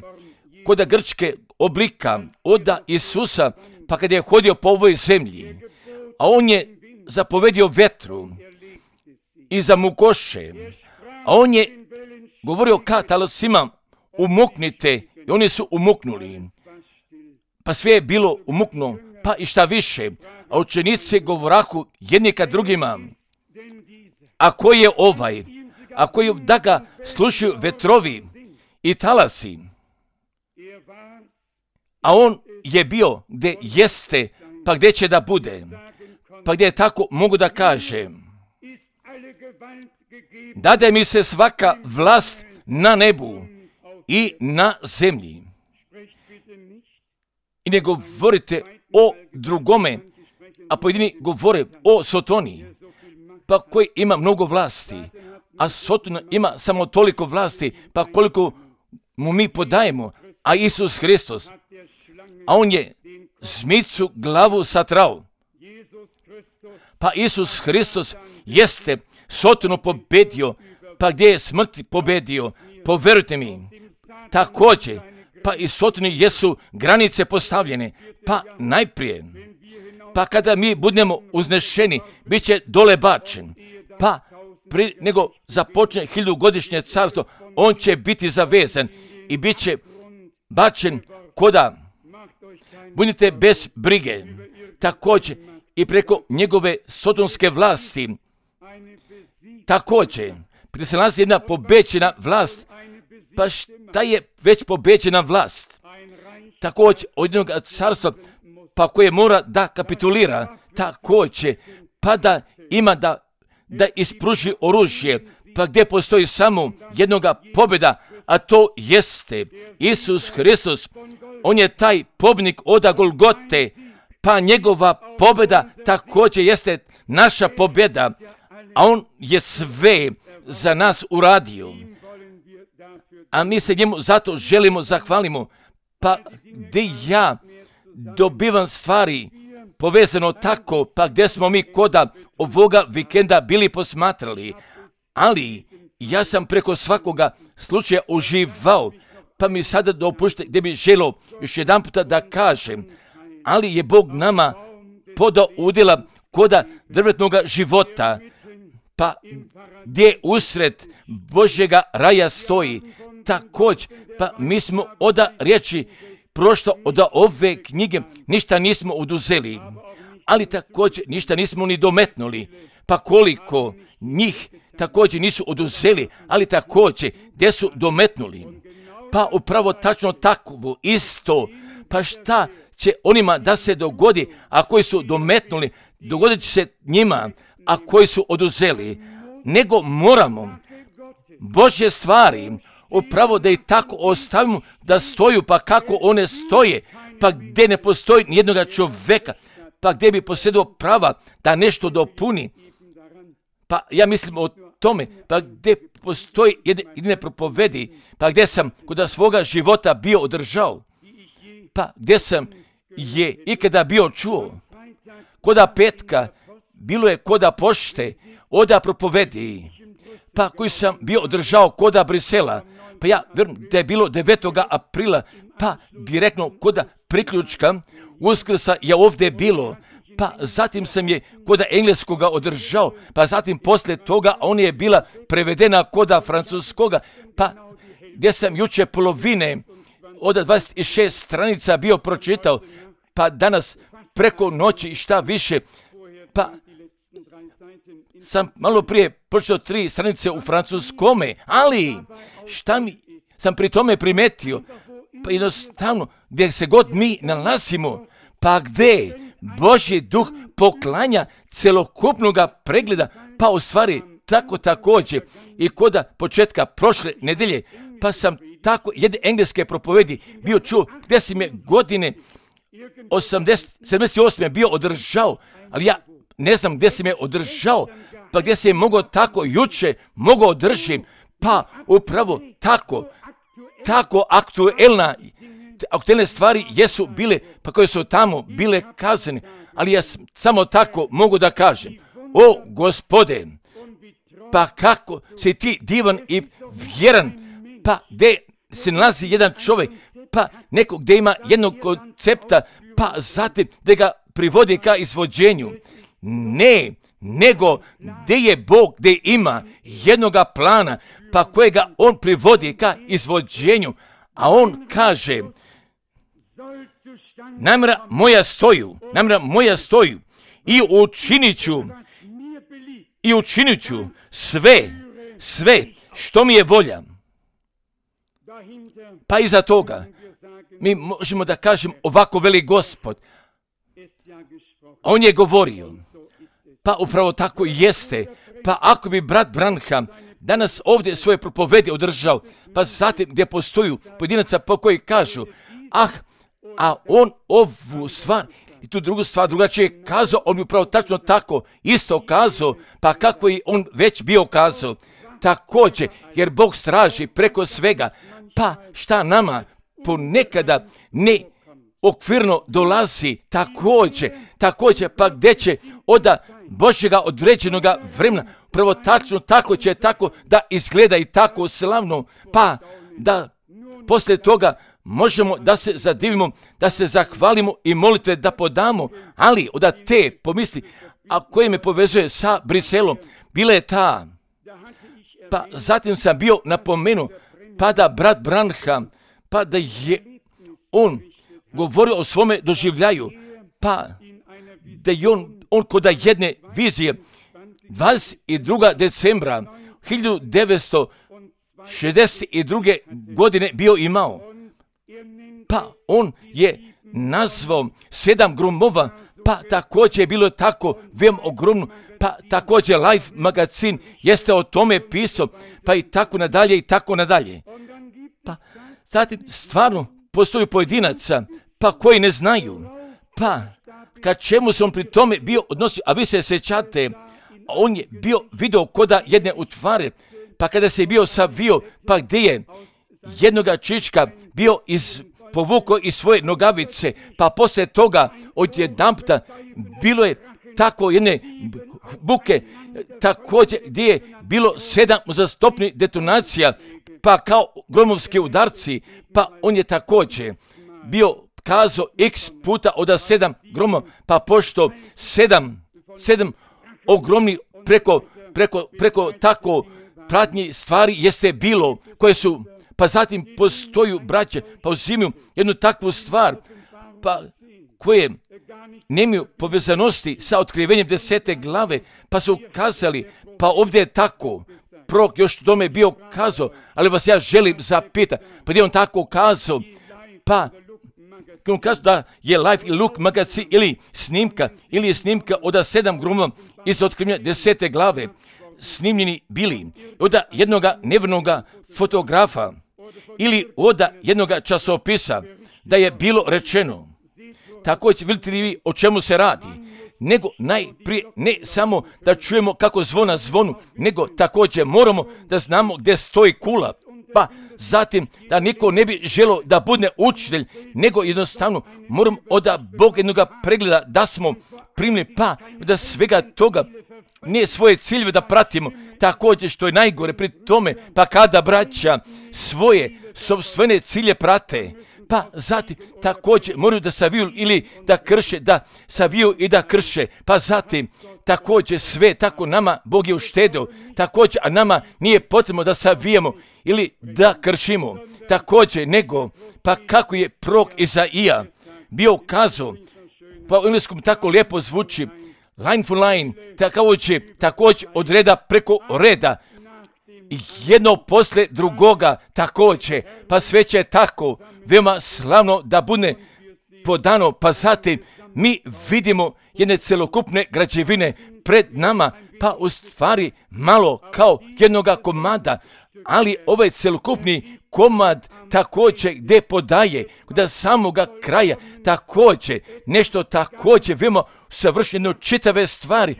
koda grčke oblika oda Isusa, pa kad je hodio po ovoj zemlji, a on je zapovedio vetru i zamukoše, a on je govorio ka talosima, umuknite, i oni su umuknuli, pa sve je bilo umuknuo, pa i šta više, a učenici govorahu jedni ka drugima, a ko je ovaj, a koji da ga slušaju vetrovi i talasi, a on je bio gdje jeste, pa gdje će da bude, pa gdje je tako mogu da kaže, dade mi se svaka vlast na nebu i na zemlji. I ne govorite o drugome, a pojedini govore o Sotoni, pa koji ima mnogo vlasti, a Sotona ima samo toliko vlasti, pa koliko mu mi podajemo, a Isus Hristos, a on je zmicu glavu satrao. Pa Isus Hristos jeste Sotonu pobedio, pa gdje je smrt pobedio, poverujte mi, također, pa i Sotoni jesu granice postavljene, pa najprije, pa kada mi budemo uznešeni, bit će dole bačen, pa pri nego započne hiljadugodišnje carstvo, on će biti zavezan i bit će bačen koda, budite bez brige, također i preko njegove sotonske vlasti, također, prije se nalazi jedna pobeđena vlast, pa šta je već pobeđena vlast? Također, od jednog carstva, pa koje mora da kapitulira, također, pa da ima da, da ispruži oružje, pa gdje postoji samo jednoga pobjeda, a to jeste Isus Hristos. On je taj pobjednik oda Golgote, pa njegova pobjeda također jeste naša pobjeda, a on je sve za nas uradio. A mi se njemu zato želimo, zahvalimo, pa gdje ja dobivam stvari povezano tako, pa gdje smo mi koda ovoga vikenda bili posmatrali, ali ja sam preko svakoga slučaja uživao, pa mi sada dopušte gdje bi želio još jedan puta da kažem, ali je Bog nama podao udjela koda drvetnoga života, pa gdje usred Božjega raja stoji, također, pa mi smo oda riječi prošto od ove knjige ništa nismo oduzeli, ali također ništa nismo ni dometnuli, pa koliko njih također nisu oduzeli, ali također gdje su dometnuli, pa upravo tačno takvu isto, pa šta će onima da se dogodi, a koji su dometnuli, dogodit će se njima, a koji su oduzeli, nego moramo Božje stvari upravo da ih tako ostavimo da stoju, pa kako one stoje, pa gdje ne postoji nijednoga čoveka, pa gdje bi posjedao prava da nešto dopuni. Pa ja mislim o tome, pa gdje postoji jedine propovedi, pa gdje sam kod svoga života bio održao, pa gdje sam je ikada bio čuo, koda petka, bilo je koda pošte, oda propovedi, pa koji sam bio održao koda Brisela, pa ja vjerujem da je bilo devetog aprila, pa direktno koda priključka Uskrsa je ovdje bilo, pa zatim sam je koda engleskoga održao, pa zatim poslije toga on je bila prevedena koda francuskoga, pa gdje sam juče polovine od dvadeset šest stranica bio pročitao, pa danas preko noći šta više, pa sam malo prije pročitao tri stranice u francuskome, ali šta mi sam pri tome primetio, pa jednostavno gdje se god mi nalazimo, pa gdje Božji duh poklanja celokupnoga pregleda, pa u stvari tako također i koda početka prošle nedelje, pa sam tako jedne engleske propovedi bio čuo gdje si me godine osamdeset, sedamdeset osam bio održao, ali ja ne znam gdje si me održao, pa gdje si je mogao tako juče, mogao održim, pa upravo tako, tako aktuelna, aktuelne stvari jesu bile, pa koje su tamo bile kazane, ali ja samo tako mogu da kažem, o Gospode, pa kako si ti divan i vjeran, pa gdje se nalazi jedan čovjek, pa neko gdje ima jednog koncepta, pa zatim da ga privodi ka izvođenju. Ne, nego gdje je Bog, gdje ima jednoga plana, pa kojega on privodi ka izvođenju, a on kaže, namjera moja stoju, namjera moja stoju i učinit ću, i učinit ću sve, sve što mi je volja. Pa iza toga mi možemo da kažem ovako veli Gospod. On je govorio, pa upravo tako jeste, pa ako bi brat Branham danas ovdje svoje propovedi održao, pa zatim gdje postoju pojedinaca po koji kažu, ah, a on ovu stvar i tu drugu stvar drugačije kazao, on bi upravo tačno tako isto kazao, pa kako je on već bio kazao. Također, jer Bog straži preko svega, pa šta nama ponekada ne okvirno dolazi također, također, pa gdje će od Božjega određenoga vremena, prvo tačno tako će tako da izgleda i tako slavno, pa da poslije toga možemo da se zadivimo, da se zahvalimo i molitve da podamo, ali od te pomisli, a koje me povezuje sa Briselom, bila je ta, pa zatim sam bio napomenuo, pa da brat Branham, pa da je on govorio o svome doživljaju, pa da je on, on kod jedne vizije dvadeset drugog decembra hiljadu devetsto šezdeset druge godine bio imao. Pa on je nazvao sedam gromova, pa također je bilo tako veoma ogromno, pa također Life magazin jeste o tome pisao, pa i tako nadalje i tako nadalje. Pa zatim stvarno postoji pojedinaca, pa koji ne znaju, pa ka čemu se on pri tome bio odnosio, a vi se sjećate, on je bio video koda jedne utvare, pa kada se je bio savio, pa gdje je jednoga čička bio iz povukao iz svoje nogavice, pa poslije toga odjedanputa bilo je tako jedne buke, također gdje je bilo sedam uzastopnih detonacija, pa kao gromovski udarci, pa on je također bio kazao x puta od sedam gromova, pa pošto sedam, sedam ogromnih preko, preko, preko tako pratnji stvari jeste bilo, koje su, pa zatim postoju braće, pa uzimaju jednu takvu stvar, pa koje nemaju povezanosti sa otkrivenjem desete glave, pa su kazali, pa ovdje je tako, prorok još tome bio kazao, ali vas ja želim zapitati, pa gdje on tako kazao, pa on kazao da je Life i Look magazin ili snimka, ili je snimka od sedam gromova iz otkrivenja desete glave, snimljeni bili od jednoga nevrnoga fotografa ili od jednoga časopisa da je bilo rečeno. Također, vidite li vi o čemu se radi? Nego najprije ne samo da čujemo kako zvona zvonu, nego također moramo da znamo gdje stoji kula. Pa zatim da niko ne bi želio da bude učitelj, nego jednostavno moramo od Boga jednoga pregleda da smo primili, pa da svega toga ne svoje ciljeve da pratimo. Također što je najgore pri tome, pa kada braća svoje sopstvene cilje prate, pa zatim također moraju da saviju ili da krše, da saviju i da krše, pa zatim također sve tako nama Bog je uštedeo, također, a nama nije potrebno da savijemo ili da kršimo, također nego, pa kako je prorok Izaija bio ukazao, pa u engleskom tako lijepo zvuči, line for line, također, također od reda preko reda, jedno posle drugoga također, pa sve će tako veoma slavno da bude podano, pa zatim mi vidimo jedne celokupne građevine pred nama, pa u stvari malo kao jednoga komada, ali ovaj celokupni komad također gdje podaje do samoga kraja također nešto također veoma savršeno čitave stvari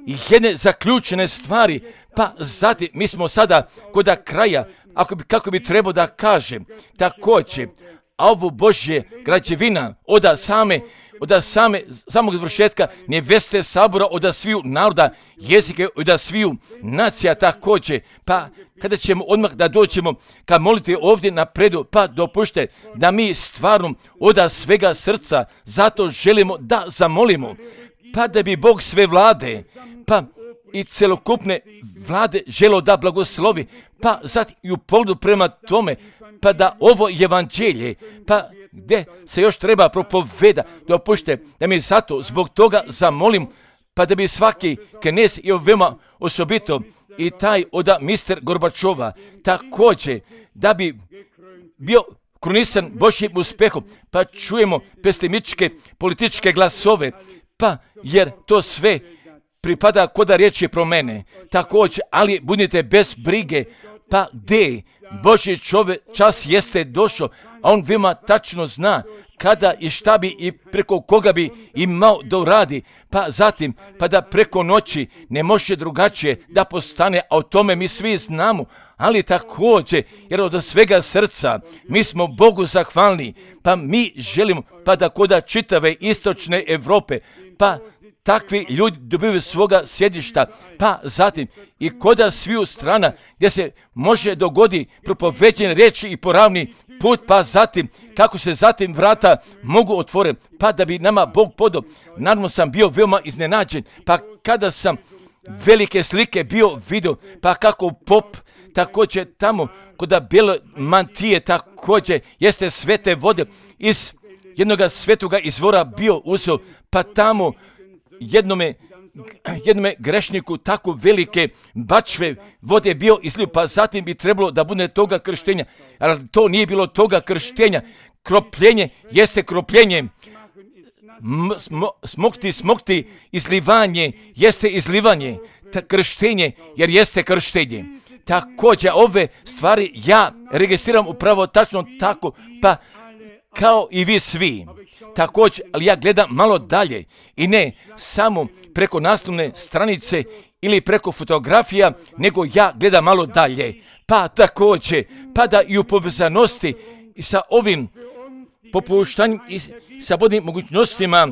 i jedne zaključene stvari, pa zatim mi smo sada kod kraja, ako bi, kako bi trebao da kažem, također, a ovo Božje građevina od same, od same, samog završetka neveste sabora, od sviju naroda, jezike, od sviju nacija također, pa kada ćemo odmah da dođemo ka moliti ovdje napredu, pa dopušte da mi stvarno od svega srca zato želimo da zamolimo, pa da bi Bog sve vlade, pa i celokupne vlade želo da blagoslovi, pa zatim i u pogledu prema tome, pa da ovo evanđelje, pa gdje se još treba propoveda, dopušte da mi zato zbog toga zamolim, pa da bi svaki knez i veoma osobito i taj od mister Gorbačova također da bi bio krunisan Božjim uspehom, pa čujemo pesimističke političke glasove, pa jer to sve pripada koda riječi pro mene, također, ali budite bez brige, pa gdje Božji čovjek čas jeste došao, a on veoma tačno zna kada i šta bi i preko koga bi imao da uradi, pa zatim, pa da preko noći ne može drugačije da postane, a o tome mi svi znamo, ali također, jer od svega srca mi smo Bogu zahvalni, pa mi želimo, pa da koda čitave istočne Europe, pa takvi ljudi dobivaju svoga sjedišta, pa zatim i koda sviju strana gdje se može dogodi propoveđene riječi i poravni put, pa zatim kako se zatim vrata mogu otvoriti, pa da bi nama Bog podao. Naravno sam bio veoma iznenađen, pa kada sam velike slike bio vidio, pa kako pop također tamo koda bijele mantije također jeste svete vode iz jednoga svetoga izvora bio uzeo, pa tamo jednome, jednome grešniku tako velike bačve vode bio izlio, pa zatim bi trebalo da bude toga krštenja, ali to nije bilo toga krštenja. Kropljenje jeste kropljenje, Smo, smokti, smokti, izlivanje jeste izlivanje, ta krštenje jer jeste krštenje. Također ove stvari ja registriram upravo tačno tako, pa kao i vi svi. Također, ali ja gledam malo dalje i ne samo preko naslovne stranice ili preko fotografija, nego ja gledam malo dalje. Pa također, pa da i u povezanosti i sa ovim popuštanjem i sa bodnim mogućnostima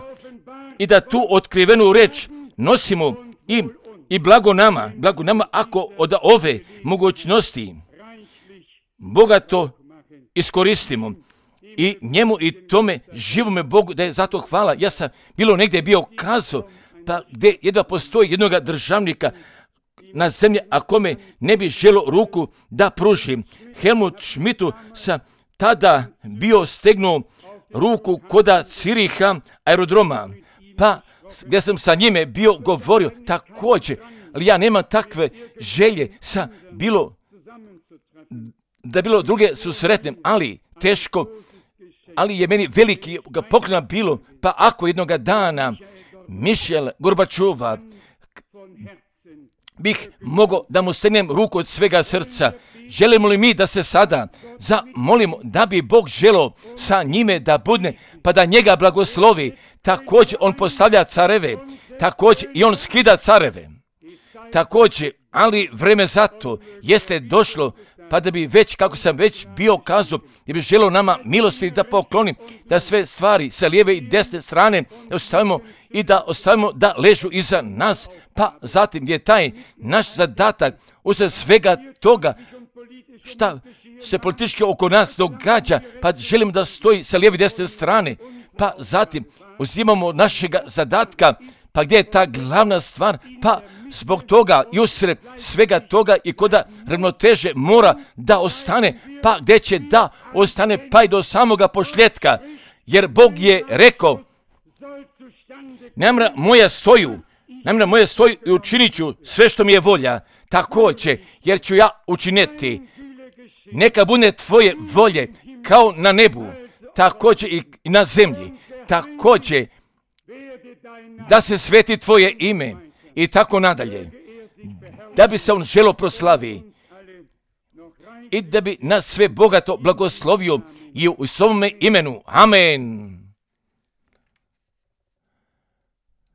i da tu otkrivenu reč nosimo i, i blago nama, blago nama ako od ove mogućnosti bogato iskoristimo. I njemu i tome živome Bogu da je zato hvala. Ja sam bilo negdje bio kazao, pa gdje jedva postoji jednoga državnika na zemlji, a kome ne bi želo ruku da pruži. Helmut Schmidtu sam tada bio stegnuo ruku koda Ciriha aerodroma, pa gdje sam sa njime bio govorio također, ali ja nemam takve želje sa bilo, da bilo druge susretnem, ali teško, ali je meni veliki poklona bilo, pa ako jednoga dana Mišel Gorbačova bih mogao da mu stegnem ruku od svega srca. Želimo li mi da se sada zamolimo da bi Bog želeo sa njime da budne, pa da njega blagoslovi. Također on postavlja careve, također i on skida careve. Također, ali vreme za to jeste došlo, pa da bi već, kako sam već bio kazao, da bi želeo nama milosti da pokloni, da sve stvari sa lijeve i desne strane ostavimo i da ostavimo da ležu iza nas, pa zatim je taj naš zadatak usred svega toga šta se politički oko nas događa, pa želimo da stoji sa lijeve i desne strane, pa zatim uzimamo našega zadatka, pa gdje je ta glavna stvar, pa zbog toga i usred svega toga i koda ravnoteže mora da ostane, pa gdje će da ostane pa i do samoga pošljetka, jer Bog je rekao, namjera moja stoju, namjera moja stoju i učinit ću sve što mi je volja, također, jer ću ja učiniti. Neka bude tvoje volje kao na nebu, također i na zemlji, također da se sveti tvoje ime i tako nadalje, da bi se on želo proslavi i da bi nas sve bogato blagoslovio i u svome imenu. Amen.